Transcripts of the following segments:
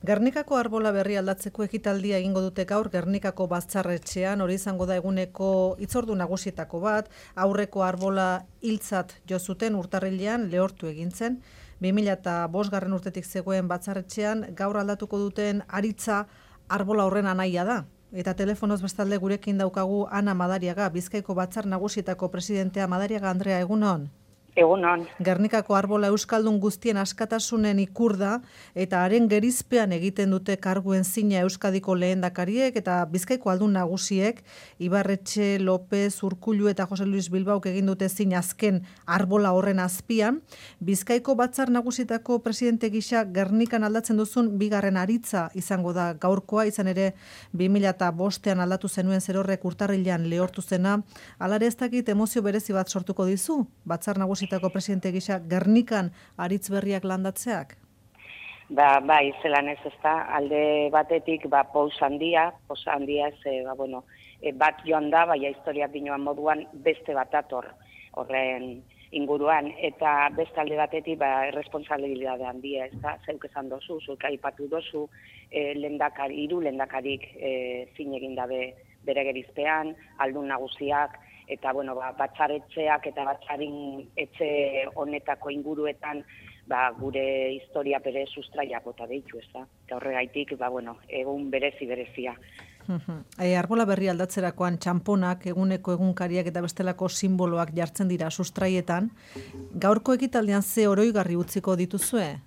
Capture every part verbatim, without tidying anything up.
Gernikako arbola berri aldatzeko ekitaldia egingo dute gaur Gernikako batzarretxean, hori izango da eguneko hitzordu nagusietako bat, aurreko arbola hiltzat jo zuten urtarrilean lehortu egin zen. bi mila bost garren urtetik zegoen batzarretxean gaur aldatuko duten aritza arbola horren anaia da. Eta telefonoz bestalde gurekin daukagu Ana Madariaga, Bizkaiko batzar nagusietako presidentea. Madariaga Andrea, egunon. Egunon. Gernikako arbola euskaldun guztien askatasunen ikur da, eta haren gerizpean egiten dute karguen zina Euskadiko lehendakariek eta Bizkaiko aldun nagusiek, Ibarretxe, López, Urkullu eta Jose Luis Bilbaok egin dute zina azken arbola horren azpian. Bizkaiko batzar nagusietako presidente gisa Gernikan aldatzen duzun bigarren aritza izango da gaurkoa, izan ere bi mila bostean aldatu zenuen zerorrek urtarrilean lehortu zena. Halare ez dakit emozio berezi bat sortuko dizu, batzar nagusi presidente gisa Gernikan aritz berriak landatzeak? Ba, bai, zelan ez ezta, alde batetik, ba, pous handia, pous handia ez, e, ba, bueno, e, bat joan da, baina historiak dinoan moduan beste bat ator horren inguruan, eta beste alde batetik, ba, responsabilidade handia, ez da, zeuk esan dozu, zuek aipatu dozu, e, lendakari, hiru lendakarik e, zin egin dabe bere gerizpean, aldun nagusiak, eta bueno, ba, batzaretxeak eta batzarin etxe honetako inguruetan ba, gure historia bere sustraiak bota deitu, ez da? Eta horregaitik, ba, bueno, egun berezi berezia. E, arbola berri aldatzerakoan txamponak, eguneko egunkariak eta bestelako simboloak jartzen dira sustraietan. Gaurko ekitaldean ze oroigarri utziko dituzue?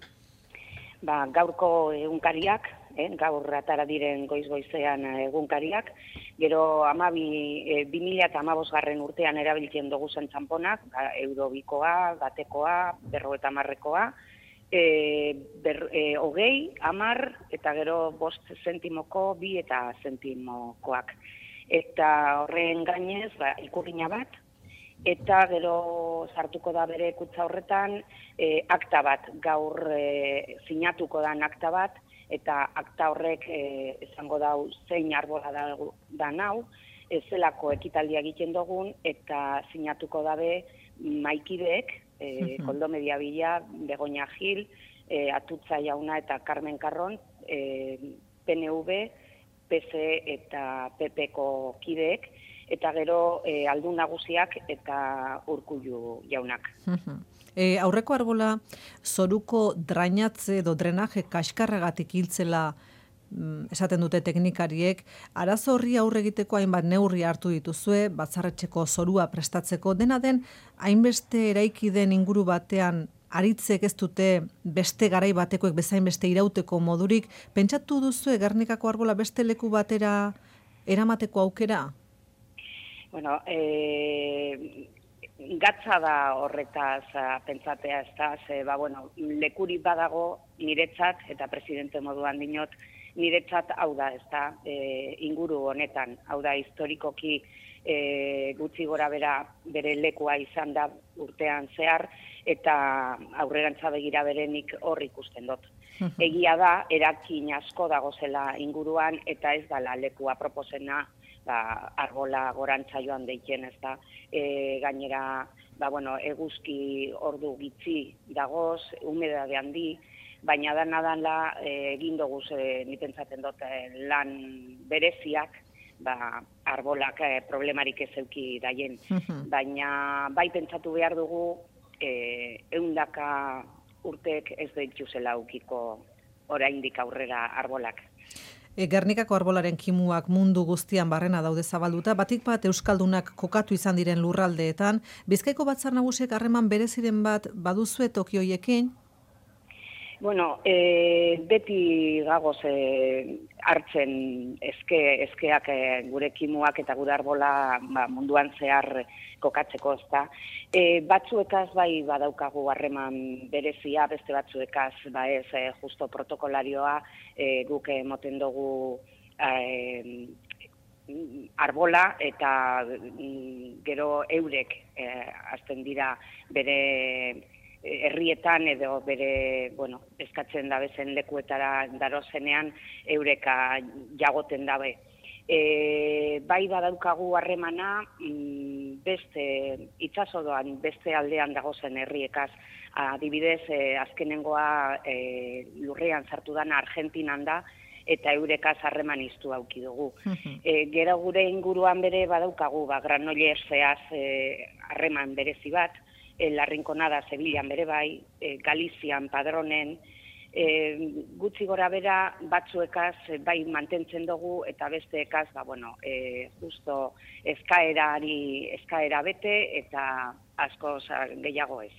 Ba, gaurko egunkariak, eh, gaur atara diren goiz-goizean egunkariak, gero amabi, e, bi mila eta hamabost garren urtean erabiltzen dugu zen txamponak, ba, eurobikoa, batekoa, berrogeita hamarrekoa, e, ber, e, hogei, hamar, eta gero bost zentimoko, bi eta zentimokoak. Eta horren gainez, ba, ikurrina bat, eta gero sartuko da bere kutsa horretan e, akta bat, gaur e, sinatuko dan akta bat, eta akta horrek e, esango dau zein arbola da, da nau, ez zelako ekitaldia egiten dugun, eta sinatuko dabe maikideek, e, Koldo Mediabila, Begoña Gil, e, Atutza Jauna eta Carmen Carron, e, P N V, P S eta P Pko kideek, eta gero e, aldun nagusiak eta Urkullu jaunak. E, aurreko arbola zoruko drainatze edo drenaje kaskarragatik hiltzela mm, esaten dute teknikariek. Arazo horri aurre egiteko hainbat neurri hartu dituzue, batzarretxeko zorua prestatzeko. Dena den, hainbeste eraiki den inguru batean aritzek ez dute beste garai batekoek bezain beste irauteko modurik. Pentsatu duzue Gernikako arbola beste leku batera eramateko aukera? Bueno, eh... gatza da horretaz a, pentsatea, ez da, ze, ba, bueno, lekuri badago niretzat, eta presidente moduan dinot, niretzat hau da, ez da, e, inguru honetan, hau da, historikoki e, gutxi gora bera bere lekua izan da urtean zehar, eta aurrerantza begira berenik hor ikusten dut. Egia da, erakin asko dago zela inguruan, eta ez dala lekua proposena, ba, arbola gorantza joan deiten, ez da, e, gainera, ba, bueno, eguzki ordu gitzi dagoz, humedade handi, baina dana dala e, egin dugu e, nipentzaten dut lan bereziak, ba, arbolak e, problemarik ez euki daien, baina bai pentsatu behar dugu e, eundaka urtek ez dituzela aukiko oraindik aurrera arbolak. E, Gernikako arbolaren kimuak mundu guztian barrena daude zabalduta, batik bat euskaldunak kokatu izan diren lurraldeetan. Bizkaiko batzar nagusiek harreman bereziren bat baduzue Tokioiekin? Bueno, e, beti gagoz e, hartzen eske, eskeak e, gure kimuak eta gure arbola ba, munduan zehar kokatzeko, ezta. E, batzuekaz bai badaukagu harreman berezia, beste batzuekaz ba ez e, justo protokolarioa e, guk emoten dugu e, arbola eta mm, gero eurek e, hasten dira bere herrietan edo bere, bueno, eskatzen dabezen lekuetara darozenean eureka jagoten dabe. E, bai badaukagu harremana beste itsasodoan beste aldean dagozen herriekaz Adibidez, e, azkenengoa e, lurrean sartu dana Argentinan da, eta eurekaz harreman iztu auki dugu. E, gero gure inguruan bere badaukagu, ba, Granollers zeaz harreman berezi bat, e, La Rinconada Sevillan bere bai, e, Galizian, Padronen, e, gutxi gora bera batzuekaz bai mantentzen dugu, eta besteekaz, ba, bueno, e, justo eskaerari, eskaera bete, eta asko gehiago ez.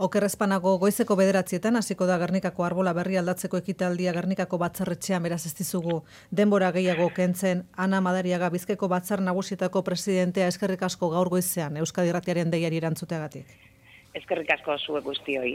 Oker ezpanago goizeko bederatzietan hasiko da Gernikako arbola berri aldatzeko ekitaldia Gernikako batzarretxean, beraz ez dizugu denbora gehiago kentzen. Ana Madariaga, Bizkaiko batzar nagusietako presidentea, eskerrik asko gaur goizean Euskadi Irratiaren deiari erantzuteagatik. Eskerrik asko zuek guztioi.